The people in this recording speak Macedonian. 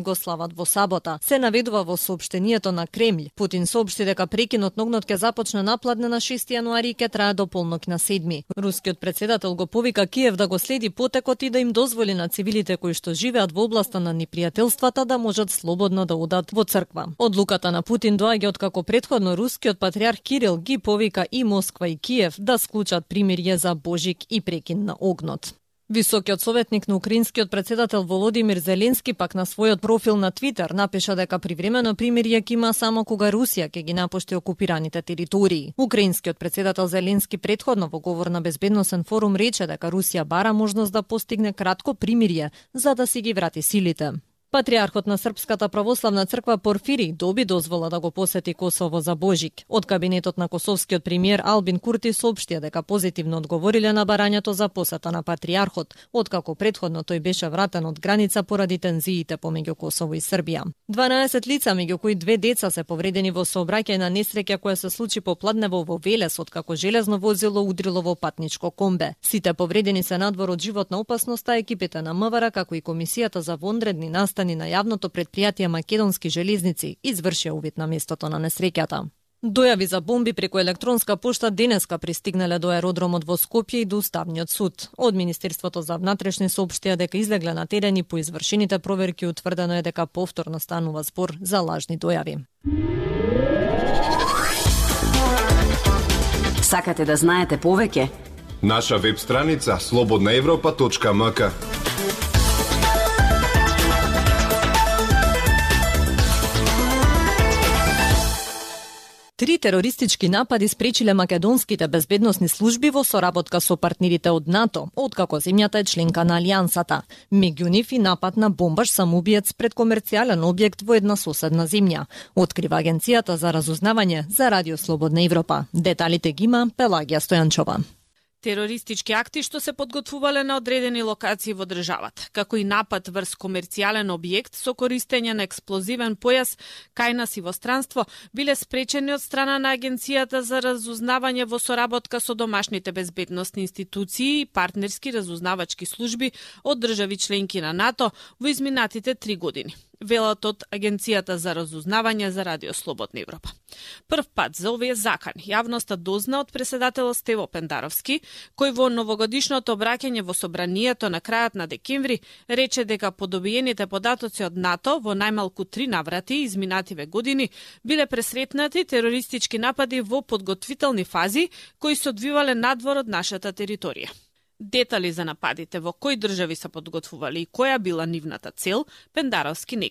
го слават во сабота. Се наведува во соопштението на Кремљ. Путин соопшти дека прекинот на огнот ќе започне напладне на 6 јануари и ќе трае до полнок на 7. Рускиот председател го повика Киев да го следи потекот и да им дозволи на цивилите кои што живеат во областа на непријателствата да можат слободно да одат во црква. Одлуката на Путин доаѓа откако претходно рускиот патриарх Кирил ги повика и Москва и Киев да склучат примирје за Божик и прекин на огнот. Високиот советник на украинскиот председател Володимир Зеленски пак на својот профил на Твитер напиша дека привремено примирје ќе има само кога Русија ќе ги напушти окупираните територии. Украинскиот председател Зеленски претходно во говор на безбедносен форум рече дека Русија бара можност да постигне кратко примирје за да си ги врати силите. Патриархот на Српската православна црква Порфири доби дозвола да го посети Косово за Божик. Од кабинетот на косовскиот премиер Албин Курти соопштија дека позитивно одговориле на барањето за посета на патриархот, откако претходно тој беше вратен од граница поради тензиите помеѓу Косово и Србија. 12 лица, меѓу кои 2 деца, се повредени во сообраќај на несреќа која се случи попладнево во Велес, откако железно возило удрило во патничко комбе. Сите повредени се надвор од животна опасност, а екипите на МВР, како и Комисијата за вонредни настани на јавното претпријатие Македонски железници извршија увид на местото на несреќата. Дојави за бомби преку електронска пошта денеска пристигнале до аеродромот во Скопје и до Уставниот суд. Од Министерството за внатрешни соопштија дека излегле на терен и по извршените проверки утврдено е дека повторно станува збор за лажни дојави. Сакате да знаете повеќе? Наша веб страница slobodnaevropa.mk. Три терористички напади спречиле македонските безбедносни служби во соработка со партнерите од НАТО, откако земјата е членка на Алијансата. Меѓу нив и напад на бомбаш самоубиец пред комерцијален објект во една соседна земја, открива Агенцијата за разузнавање за Радио Слободна Европа. Деталите ги има Пелагија Стојанчова. Терористички акти што се подготвувале на одредени локации во државата, како и напад врз комерцијален објект со користење на експлозивен појас кај нас и во странство, биле спречени од страна на Агенцијата за разузнавање во соработка со домашните безбедносни институции и партнерски разузнавачки служби од држави членки на НАТО во изминатите 3 години. Велат од Агенцијата за разузнавање за Радио Слободна Европа. Прв пат за овие закани јавноста дозна од преседателот Стево Пендаровски, кој во новогодишното обраќање во собранието на крајот на декември рече дека по добиените податоци од НАТО во најмалку 3 наврати изминативе години биле пресретнати терористички напади во подготвителни фази кои се одвивале надвор од нашата територија. Детали за нападите во кои држави се подготвували и која била нивната цел, Пендаровски не